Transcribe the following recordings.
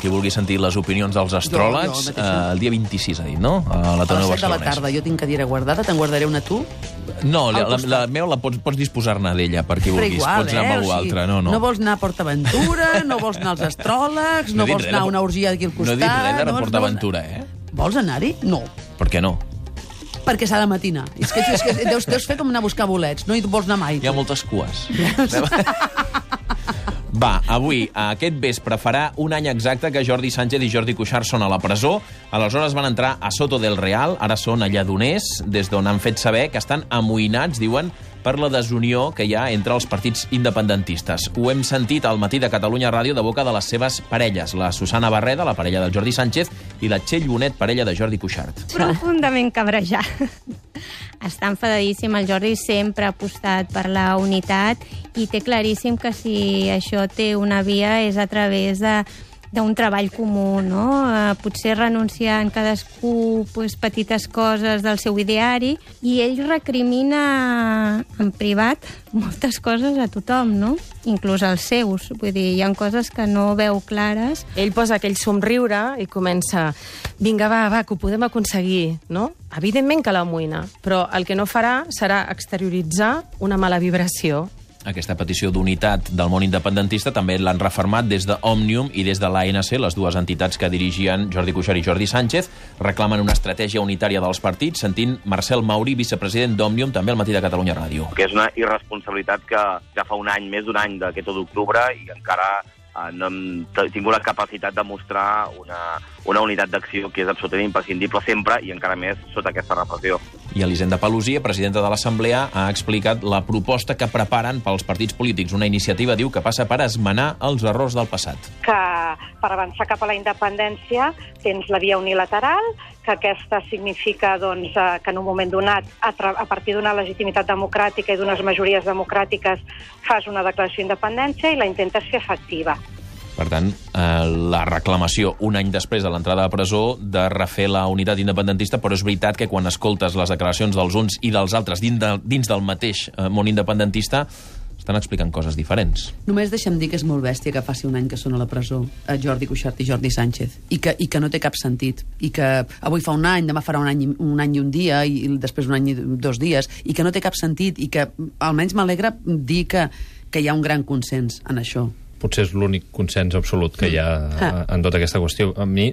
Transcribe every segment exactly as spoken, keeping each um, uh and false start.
qui vulgui sentir les opinions dels astròlegs, jo, jo, eh, el dia vint-i-sis, ha dit, no? A la Torre a les set de la tarda. Jo tinc cadira guardada, te'n guardaré una tu? No, la, la, la meva la pots, pots disposar-ne d'ella, per qui vulguis. Igual, pots anar eh? amb algú o sigui, altre. No, no. no vols anar a PortAventura, no vols anar als astròlegs, no, no vols anar a una orgia d'aquí al costat... No he dit res de no PortAventura, eh? Vols anar-hi? No. Per què no? Perquè s'ha de matinar. És que, és que deus, deus fer com anar a buscar bolets. No hi vols anar mai. Hi ha moltes cues. Va, avui, aquest vespre, farà un any exacte que Jordi Sánchez i Jordi Cuixart són a la presó. Aleshores van entrar a Soto del Real, ara són a Lledoners, des d'on han fet saber que estan amoïnats, diuen, per la desunió que hi ha entre els partits independentistes. Ho hem sentit al Matí de Catalunya Ràdio de boca de les seves parelles, la Susana Barreda, la parella del Jordi Sánchez, i la Txell Bonet, parella de Jordi Cuixart. Profundament cabrejat. Està enfadadíssim, el Jordi sempre ha apostat per la unitat i té claríssim que si això té una via és a través de d'un treball comú, no? Eh, potser renunciant cadascú pues, petites coses del seu ideari, i ell recrimina en privat moltes coses a tothom, no? Inclús als seus. Vull dir, hi ha coses que no veu clares. Ell posa aquell somriure i comença: vinga, va, va, que ho podem aconseguir, no? Evidentment que l'amoïna, però el que no farà serà exterioritzar una mala vibració. Aquesta petició d'unitat del món independentista també l'han refermat des d'Òmnium i des de l'A N C, les dues entitats que dirigien Jordi Cuixart i Jordi Sánchez. Reclamen una estratègia unitària dels partits, sentint Marcel Mauri, vicepresident d'Òmnium, també al Matí de Catalunya Ràdio. Que és una irresponsabilitat que ja fa un any, més d'un any d'aquest u d'octubre, i encara eh, no hem tingut la capacitat de mostrar una, una unitat d'acció que és absolutament imprescindible sempre, i encara més sota aquesta repressió. I Elisenda Paluzie, presidenta de l'Assemblea, ha explicat la proposta que preparen pels partits polítics. Una iniciativa, diu, que passa per esmenar els errors del passat. Que per avançar cap a la independència tens la via unilateral, que aquesta significa doncs, que en un moment donat, a, a partir d'una legitimitat democràtica i d'unes majories democràtiques, fas una declaració d'independència i la intentes fer efectiva. Per tant, eh, la reclamació, un any després de l'entrada a presó, de refer la unitat independentista, però és veritat que quan escoltes les declaracions dels uns i dels altres dins, de, dins del mateix eh, món independentista, estan explicant coses diferents. Només deixa'm dir que és molt bèstia que faci un any que són a la presó a Jordi Cuixart i Jordi Sánchez, i que, i que no té cap sentit, i que avui fa un any, demà farà un any, un any i un dia, i després un any i dos dies, i que no té cap sentit, i que almenys m'alegra dir que, que hi ha un gran consens en això. Potser és l'únic consens absolut que hi ha en tota aquesta qüestió. A mi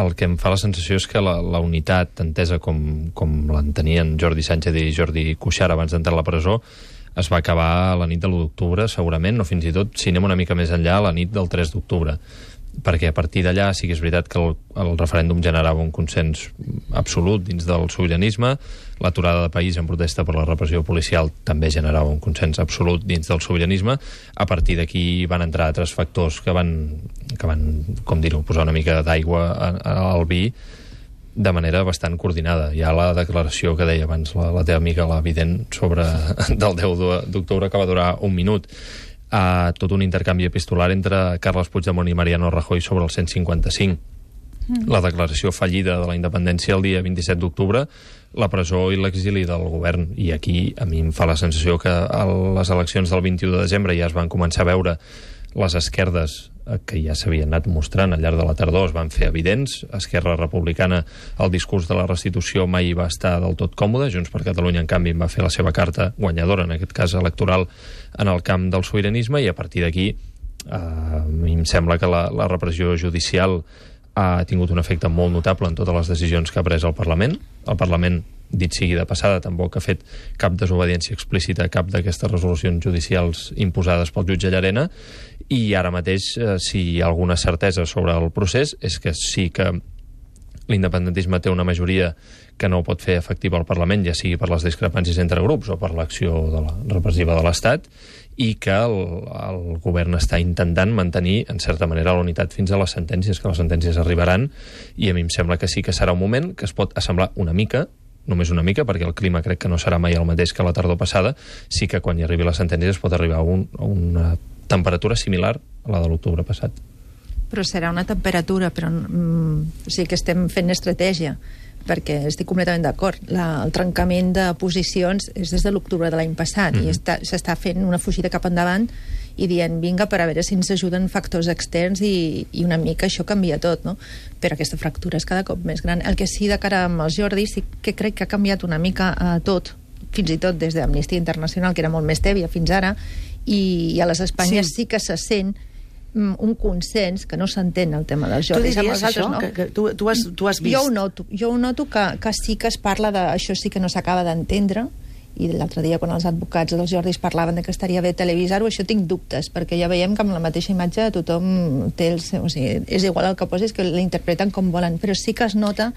el que em fa la sensació és que la, la unitat entesa com, com l'entenien Jordi Sánchez i Jordi Cuixart abans d'entrar a la presó es va acabar a la nit de l'u d'octubre, segurament, o fins i tot, si anem una mica més enllà, a la nit del tres d'octubre. Perquè a partir d'allà sí que és veritat que el, el referèndum generava un consens absolut dins del sobiranisme, l'aturada de país en protesta per la repressió policial també generava un consens absolut dins del sobiranisme. A partir d'aquí van entrar altres factors que van, que van com dir-ho, posar una mica d'aigua al vi de manera bastant coordinada. Hi ha la declaració que deia abans la, la teva amiga, la Vident, sobre del deu d'octubre, que va durar un minut. A tot un intercanvi epistolar entre Carles Puigdemont i Mariano Rajoy sobre el cent cinquanta-cinc. Mm. La declaració fallida de la independència el dia vint-i-set d'octubre, la presó i l'exili del govern. I aquí a mi em fa la sensació que a les eleccions del vint-i-u de desembre ja es van començar a veure les esquerdes que ja s'havien anat mostrant al llarg de la tardor, es van fer evidents. Esquerra Republicana, el discurs de la restitució mai va estar del tot còmode. Junts per Catalunya, en canvi, va fer la seva carta guanyadora, en aquest cas electoral, en el camp del sobiranisme, i a partir d'aquí eh, a mi em sembla que la, la repressió judicial ha tingut un efecte molt notable en totes les decisions que ha pres el Parlament. El Parlament, dit sigui de passada, tampoc ha fet cap desobediència explícita a cap d'aquestes resolucions judicials imposades pel jutge Llarena, i ara mateix, eh, si hi ha alguna certesa sobre el procés, és que sí que l'independentisme té una majoria que no ho pot fer efectiva al Parlament, ja sigui per les discrepàncies entre grups o per l'acció de la repressiva de l'Estat, i que el, el govern està intentant mantenir, en certa manera, la unitat fins a les sentències, que les sentències arribaran, i a mi em sembla que sí que serà un moment que es pot assemblar una mica, només una mica, perquè el clima crec que no serà mai el mateix que la tardor passada, sí que quan hi arribi la sentència es pot arribar a, un, a una temperatura similar a la de l'octubre passat. Però serà una temperatura, però mm, sí que estem fent estratègia, perquè estic completament d'acord. El trencament de posicions és des de l'octubre de l'any passat, mm-hmm. i s'està fent una fugida cap endavant, i dient, vinga, per a veure si ens ajuden factors externs i, i una mica això canvia tot, no? Però aquesta fractura és cada cop més gran. El que sí, de cara amb els Jordi, sí que crec que ha canviat una mica eh, tot, fins i tot des d'Amnistia Internacional, que era molt més tèbia fins ara, i, i a les Espanyes sí. sí que se sent un consens que no s'entén el tema dels Jordis. Tu diries això? No? Que, que tu, tu, has, tu has vist? Jo ho noto, jo ho noto que, que sí que es parla de... Això sí que no s'acaba d'entendre, i l'altre dia quan els advocats dels Jordis parlaven de que estaria bé televisar-ho, això tinc dubtes, perquè ja veiem que amb la mateixa imatge tothom té el seu... O sigui, és igual el que posis, que l'interpreten com volen, però sí que es nota,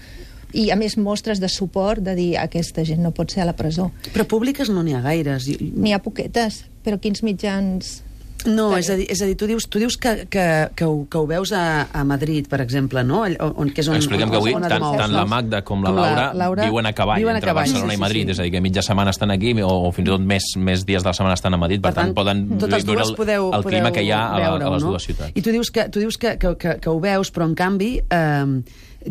i a més mostres de suport, de dir aquesta gent no pot ser a la presó. Però públiques no n'hi ha gaires. N'hi ha poquetes, però quins mitjans... No, és a dir, és a dir tu dius, tu dius que, que, que, ho, que ho veus a, a Madrid, per exemple, no? On, que és on, Expliquem on, que avui on tant, tant la Magda com la Laura, la Laura viuen a cavall viuen a entre cavall, Barcelona sí, sí, i Madrid, sí. és a dir, que mitja setmana estan aquí o, o fins i tot més, més dies de la setmana estan a Madrid, per, per tant, tant poden viure el, podeu, el clima que hi ha a, veure, a les no? dues ciutats. I tu dius que, tu dius que, que, que, que ho veus, però en canvi eh,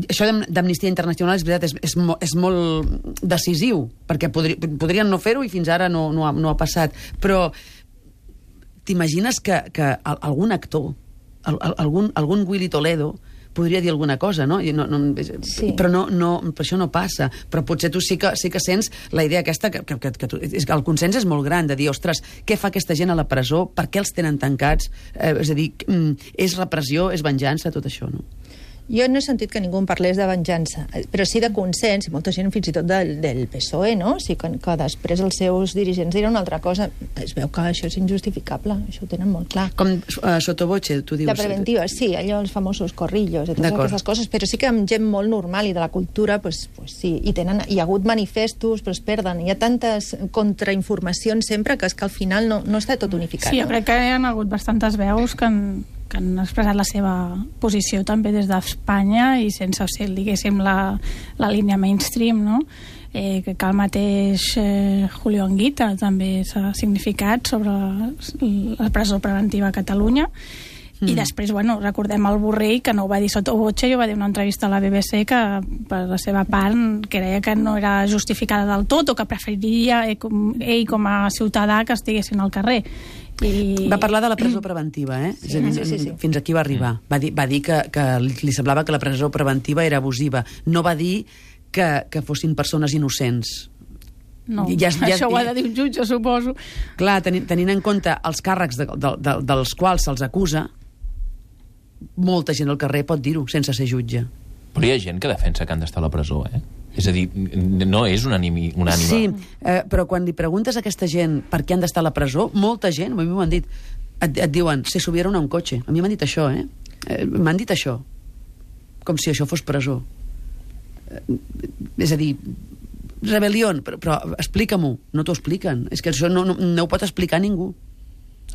això d'Amnistia Internacional és veritat, és, és, mo, és molt decisiu, perquè podri, podrien no fer-ho i fins ara no, no, ha, no ha passat, però t'imagines que, que algun actor, algun, algun Willy Toledo podria dir alguna cosa, no? no, no sí. Però no, no, per això no passa. Però potser tu sí que, sí que sents la idea aquesta, que, que, que, tu, és que el consens és molt gran, de dir, ostres, què fa aquesta gent a la presó? Per què els tenen tancats? Eh, és a dir, és repressió, és venjança, tot això, no? Jo no he sentit que ningú en parlés de venjança, però sí de consens, i molta gent fins i tot del, del P S O E, no? Sí que, que després els seus dirigents diran una altra cosa. Es veu que això és injustificable, això ho tenen molt clar. Com uh, sottovoce, tu dius? La preventiva, sí, allò, els famosos corrillos i totes aquestes coses, però sí que amb gent molt normal i de la cultura, pues, pues sí, i tenen, hi ha hagut manifestos, però es perden. Hi ha tantes contrainformacions sempre que és que al final no, no està tot unificat. Sí, jo no? crec que hi ha hagut bastantes veus que han que han expressat la seva posició també des d'Espanya i sense ser, diguéssim, la, la línia mainstream, no? Eh, que el mateix eh, Julio Anguita també s'ha significat sobre la, la presó preventiva a Catalunya. Mm. I després, bueno, recordem el Borrell, que no ho va dir sotto voce, i ho va dir en una entrevista a la B B C, que per la seva part creia que no era justificada del tot, o que preferiria ell com, ell com a ciutadà que estiguessin al carrer. I... Va parlar de la presó preventiva, eh? Sí, sí, sí, sí. Fins aquí va arribar. Va dir, va dir que, que li semblava que la presó preventiva era abusiva. No va dir que, que fossin persones innocents. No, ja, ja, això ho ha de dir un jutge, suposo. Clar, tenint, tenint en compte els càrrecs de, de, de, dels quals se'ls acusa, molta gent al carrer pot dir-ho sense ser jutge. Però hi ha gent que defensa que han d'estar a la presó, eh? És a dir, no és unànime. Sí, eh, però quan li preguntes a aquesta gent per què han d'estar a la presó, molta gent, a mi m'ho han dit, et, et diuen, se subieron a un cotxe. A mi m'han dit això, eh? eh m'han dit això. Com si això fos presó. Eh, és a dir, rebel·lió, però, però explica-m'ho. No t'ho expliquen. És que això no, no, no ho pot explicar ningú.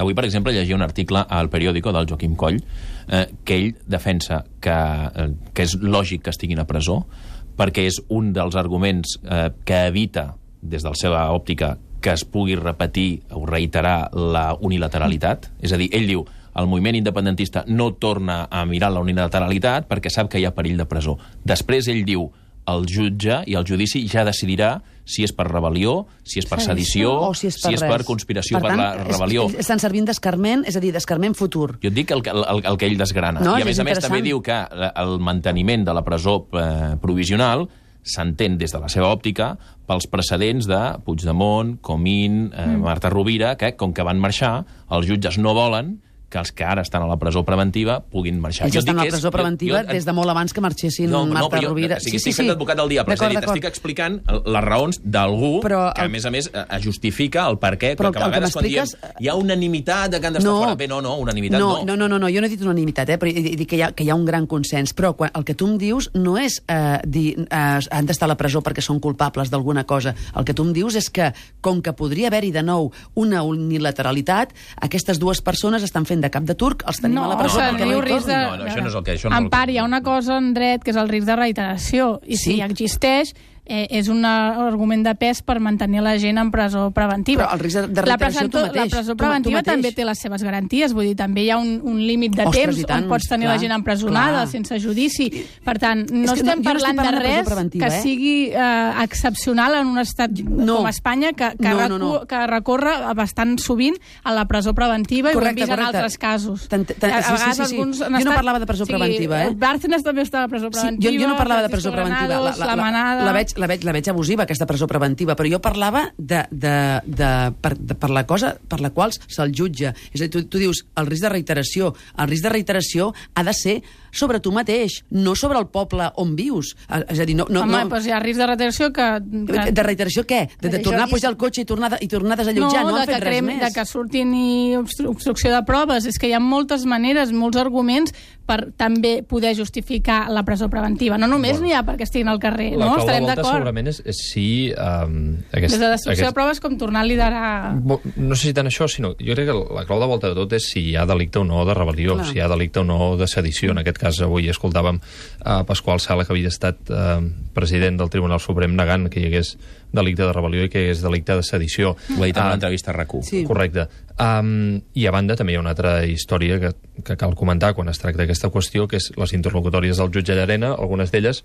Avui, per exemple, llegia un article al periòdico del Joaquim Coll eh, que ell defensa que, eh, que és lògic que estiguin a presó perquè és un dels arguments eh, que evita, des de la seva òptica, que es pugui repetir o reiterar la unilateralitat. És a dir, ell diu, el moviment independentista no torna a mirar la unilateralitat perquè sap que hi ha perill de presó. Després ell diu, el jutge i el judici ja decidirà si és per rebel·lió, si és per sedició, o si és per, si és per conspiració per, per tant, la rebel·lió. Es, estan servint d'escarment, és a dir, d'escarment futur. Jo et dic el, el, el que ell desgrana. No, I a més a més també diu que el manteniment de la presó eh, provisional s'entén des de la seva òptica pels precedents de Puigdemont, Comín, eh, mm. Marta Rovira, que com que van marxar, els jutges no volen que els que ara estan a la presó preventiva puguin marxar. Ells estan a la presó és, preventiva jo, jo, des de molt abans que marxessin no, Marta no, però jo, Rovira. O sigui, sí, estic sí, fent sí. advocat del dia, però és a dir, t'estic explicant les raons d'algú que, a més a més, justifica el per què, però que a vegades quan diem hi ha unanimitat de que han d'estar no, fora. Bé, no, no, unanimitat no. no. No, no, no, no, jo no he dit unanimitat, eh, però he dit que hi ha, que hi ha un gran consens. Però quan, el que tu em dius no és eh, dir eh, han d'estar a la presó perquè són culpables d'alguna cosa. El que tu em dius és que, com que podria haver-hi de nou una unilateralitat, aquestes dues persones estan fent de cap de turc, els tenim no, a la presó perquè no hi tornin. De... No, no, això no és el que... Això no en part hi ha una cosa, en dret, que és el risc de reiteració, i sí. si existeix, eh, és un argument de pes per mantenir la gent en presó preventiva. Però el risc de, de reiteració tu mateix. La presó preventiva tu, tu també té les seves garanties, vull dir, també hi ha un, un límit de Ostres, temps tant, on pots tenir clar, la gent empresonada clar. sense judici. Per tant, no És que estem no, jo no parlant, estic parlant de de presó res preventiva, que eh? sigui eh, excepcional en un estat no. com Espanya, que, que, no, recu, no, no. que recorre bastant sovint a la presó preventiva, correcte, i ho hem vist correcte. en altres casos. Tant, tant, A, a sí, vegades sí, sí, sí. alguns han Jo no estat... parlava de presó preventiva, eh? Bárcenas també està a la presó preventiva. Sí, jo, jo no parlava de presó preventiva. Granados, la, la, la, la, manada... la, veig, la, veig, la veig abusiva, aquesta presó preventiva, però jo parlava de, de, de, per, de, per la cosa per la qual se'l jutja. És a dir, tu, tu dius, el risc de reiteració. El risc de reiteració ha de ser sobre tu mateix, no sobre el poble on vius. És a dir, no... no, Home, no... doncs hi ha risc de reiteració que... que... De reiteració què? De, de tornar a pujar al cotxe i tornar, i tornar a desallotjar? No, no han fet res crem, més. De que surtin i obstru obstrucció de proves. És que hi ha moltes maneres, molts arguments per també poder justificar la presó preventiva. No només bueno, n'hi ha perquè estiguin al carrer, la no? clau Estarem de volta d'acord. segurament és, és si... Um, aquest, Des de destrucció aquest... de proves com tornar a liderar... No sé si tant això, sinó jo crec que la clau de volta de tot és si hi ha delicte o no de rebel·lió, Clar. si hi ha delicte o no de sedició. En aquest cas, avui escoltàvem a Pasqual Sala, que havia estat eh, president del Tribunal Suprem, negant que hi hagués delicte de rebel·lió i que hi hagués delicte de sedició. Ho ha dit en una Uh, entrevista a RAC u. Sí. Correcte. Um, I a banda també hi ha una altra història que, que cal comentar quan es tracta d'aquesta qüestió, que és les interlocutòries del jutge Llarena, algunes d'elles,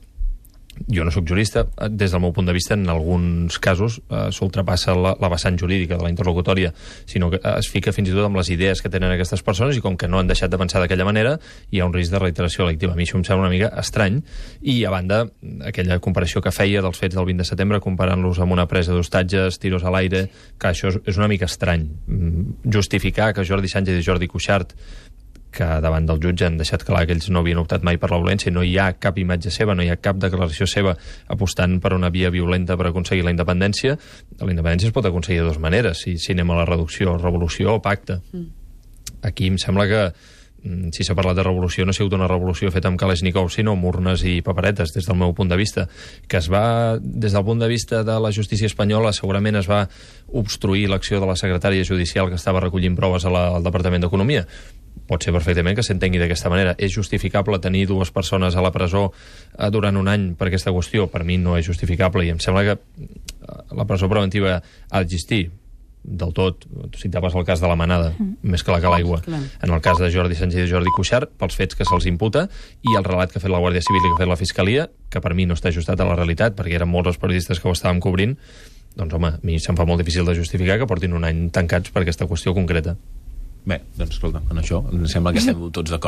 jo no sóc jurista, des del meu punt de vista en alguns casos eh, s'ultrapassa la, la vessant jurídica de la interlocutòria, sinó que es fica fins i tot amb les idees que tenen aquestes persones, i com que no han deixat de pensar d'aquella manera, hi ha un risc de reiteració delictiva. A mi això em sembla una mica estrany, i a banda aquella comparació que feia dels fets del vint de setembre comparant-los amb una presa d'hostatges, tiros a l'aire, que això és, és una mica estrany. Justificar que Jordi Sànchez i Jordi Cuixart, que davant del jutge han deixat clar que ells no havien optat mai per la violència, no hi ha cap imatge seva, no hi ha cap declaració seva apostant per una via violenta per aconseguir la independència. La independència es pot aconseguir de dues maneres, si, si anem a la reducció, revolució o pacte. Mm. Aquí em sembla que, si s'ha parlat de revolució, no ha sigut una revolució feta amb Kalashnikov, sinó amb urnes i paperetes, des del meu punt de vista. Que es va, des del punt de vista de la justícia espanyola, segurament es va obstruir l'acció de la secretària judicial que estava recollint proves a la, al Departament d'Economia. Pot ser perfectament que s'entengui d'aquesta manera. És justificable tenir dues persones a la presó eh, durant un any per aquesta qüestió? Per mi no és justificable, i em sembla que la presó preventiva ha d'existir del tot. Tu citaves el cas de la manada, mm. més clar que l'aigua. En el cas de Jordi Sànchez i Jordi Cuixart, pels fets que se'ls imputa, i el relat que ha fet la Guàrdia Civil i que ha fet la Fiscalia, que per mi no està ajustat a la realitat, perquè eren molts els periodistes que ho estàvem cobrint, doncs home, a mi se'm fa molt difícil de justificar que portin un any tancats per aquesta qüestió concreta. Bé, doncs escolta, en això em sembla que estem tots d'acord.